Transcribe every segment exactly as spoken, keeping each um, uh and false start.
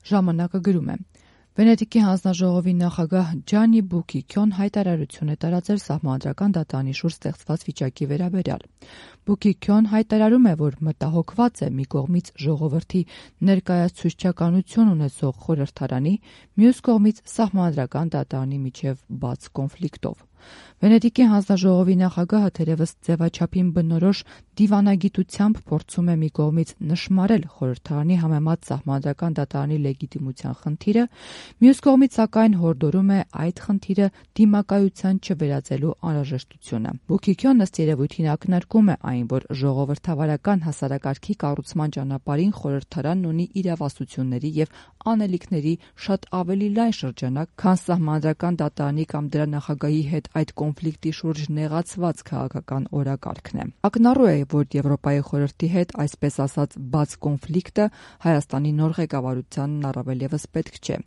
Ժամանակը գրում է. Վենետիկի հանձնաժողովի նախագահ Ջանի Բուկիկյոն հայտարարություն է տարածել Սահմանադրական դատարանի շուրջ ստեղծված վիճակի վերաբերյալ։ Բուկիկյոն հայտարարում է, որ մտահոգված է մի կողմից ժողովրդի ներկայացուցչականություն ունեցող խորհրդարանի, մյուս կողմից Սահմանադրական դատարանի միջև բաց կոնֆլիկտով։ Վենետիկի հանձնաժողովի նախագահը թերևս ձևաչափին բնորոշ դիվանագիտությամբ փորձում է մի կողմից նշմարել խորհրդարանի համեմատ Սահմանադրական դատարանի լեգիտիմության խնդիրը, մյուս կողմից սակայն հորդորում է այդ խնդիրը դիմակայության չվերածելու անհրաժեշտությունը։ Բուկիկյոնն ըստ երևույթին ակնարկում է այն, որ ժողովրդավարական հասարակարգի կառուցման ճանապարհին խորհրդարանն ունի իրավասությունների եւ անելիքների շատ ավելի լայն շրջանակ, քան Սահմանադրական դատարանի կամ դրա նախագահի հետ այդ կոնֆլիկտի շուրջ նեղացված քաղաքական օրակարգն է։ Ակնառու է, որ Եվրոպայի խորհրդի հետ այսպես ասած բաց կոնֆլիկտը Հայաստանի նոր ղեկավարությանն առավել ևս պետք չէ,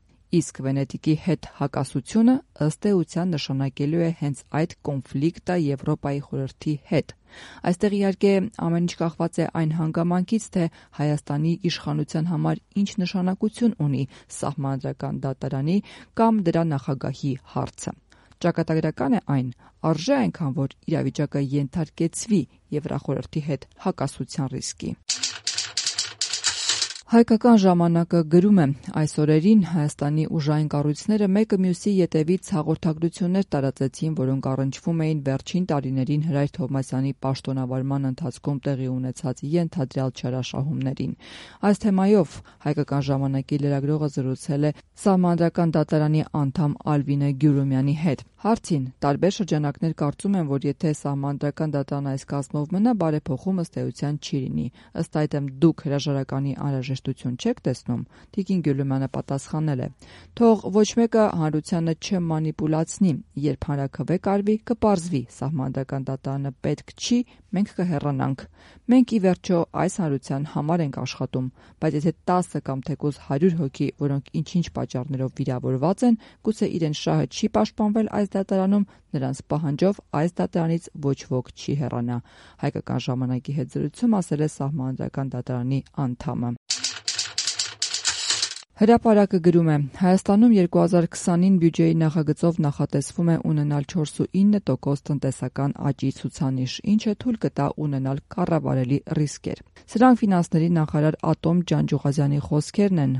իսկ Վենետիկի հետ հակասությունը ըստ էության նշանակելու է հենց այդ կոնֆլիկտը Եվրոպայի խորհրդի հետ։ Այստեղ իհարկե ամեն ինչ կախված է այն հանգամանքից, թե Հայաստանի իշխանության համար ինչ նշանակություն ունի Սահմանադրական դատարանի կամ դրա նախագահի հարցը։ Ճակատագրական է այն, արժե այնքան, որ իրավիճակը ենթարկեցվի Եվրախորհրդի հետ հակասության ռիսկի։ Հայկական ժամանակը գրում է. այս օրերին Հայաստանի ուժային կառույցները մեկը մյուսի ետևից հաղորդագրություններ տարածեցին, որոնք առնչվում էին վերջին տարիներին Հրայր Թովմասյանի պաշտոնավարման ընթացքում տեղի ունեցած ենթադրյալ չարաշահումներին։ Այս թեմայով Հայկական ժամանակի լրագրողը զրուցել է Սահմանադրական դատարանի անդամ Ալվինե Գյուրումյանի հետ։ Հարցին տարբեր շրջանակներ կարծում են, որ եթե Սահմանադրական դատարան այս կազմով մնա, բարեփոխում ըստ էության չի լինի։ Ըստ այդմ դուք հրաժարականի անհրաժեշտություն չեք տեսնում։ Տիկին Գյուլումյանը պատասխանել է. թող ոչ մեկը հանրությանը չմանիպուլացնի, երբ հանրաքվե կարվի, կպարզվի, Սահմանադրական դատարանը պետք չի, մենք կհեռանանք։ Մենք ի վերջո այս հանրության համար ենք աշխատում, բայց եթե տասը կամ թեկուզ հարյուր հոգի, որոնք ինչ-ինչ պատճառներով վիրավորված են, գուցե իրենց շահը չի պաշտպանվել այս դատարանում, նրանց պահանջով այս դատարանից ոչ ոք չի հեռանա։ Հայկական ժամանակի հետ զրույցում ասել է Սահմանադրական դատարանի անդամը։ Հրապարակը գրում է. Հայաստանում երկու հազար քսանին բյուջեի նախագծով նախատեսվում է ունենալ չորսունինը տոկոս տնտեսական աճի ցուցանիշ, ինչը թույլ կտա ունենալ կառավարելի ռիսկեր։ Սրանք ֆինանսների նախարար Ատոմ Ջանջուղազյանի խոսքերն են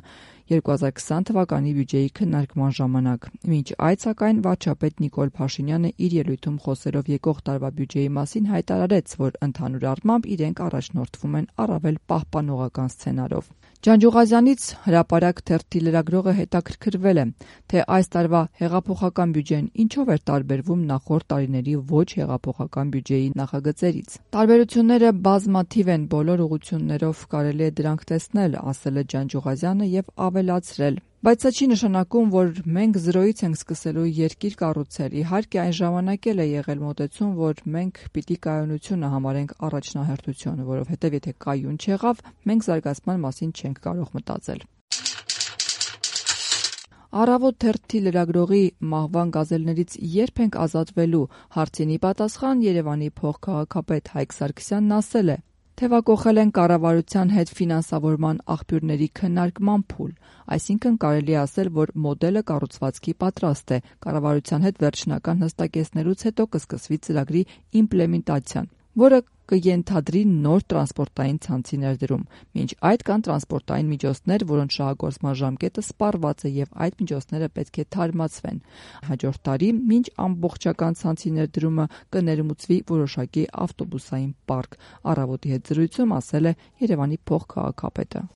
երկու հազար քսան թվականի բյուջեի քննարկման ժամանակ։ Մինչ այդ սակայն վարչապետ Նիկոլ Փաշինյանը իր ելույթում խոսելով եկող տարվա բյուջեի մասին հայտարարեց, որ ընդհանուր առմամբ իրենք առաջնորդվում են առավել պահպանողական սցենարով։ Ջանջուղազյանից Հրապարակ թերթի լրագրողը հետաքրքրվել է, թե այս տարվա հեղափոխական բյուջեն ինչով էր տարբերվում նախորդ տարիների ոչ հեղափոխական բյուջեի նախագծերից։ Տարբերությունները բազմաթիվ են, բոլոր ուղղություններով կարելի է դրանք տեսնել, ասել է Ջանջուղազյանը եւ ավելացրել. Բայց սա չի նշանակում, որ մենք զրոյից ենք սկսելու երկիր կառուցել։ Իհարկե այն ժամանակ էլ է եղել մոտեցում, որ մենք պիտի կայունությունը համարենք առաջնահերթություն, որովհետև եթե կայուն չեղավ, մենք զարգացման մասին չենք կարող մտածել։ Առավոտ թերթի լրագրողի մահվան գազելներից երբ ենք ազատվելու հարցինի պատասխան Երևանի փոխքաղաքապետ Հայկ Սարգսյանն ասել է. Թևակողել են կառավարության հետ ֆինանսավորման աղբյուրների քննարկման փուլ, այսինքն կարելի է ասել, որ մոդելը կառուցվածքի պատրաստ է, կառավարության հետ վերջնական հստակեցնելուց հետո կսկսվի ծրագրի իմպլեմենտացիան, որը կենթադրի նոր տրանսպորտային ցանցի ներդրում։ Մինչ այդ կան տրանսպորտային միջոցներ, որոնց շահագործման ժամկետը սպառված է եւ այդ միջոցները պետք է թարմացվեն։ Հաջորդ տարի, մինչ ամբողջական ցանցի ներդրումը կներմուծվի որոշակի ավտոբուսային պարկ, Առավոտի հետ զրույցում ասել է Երևանի փոխքաղաքապետը։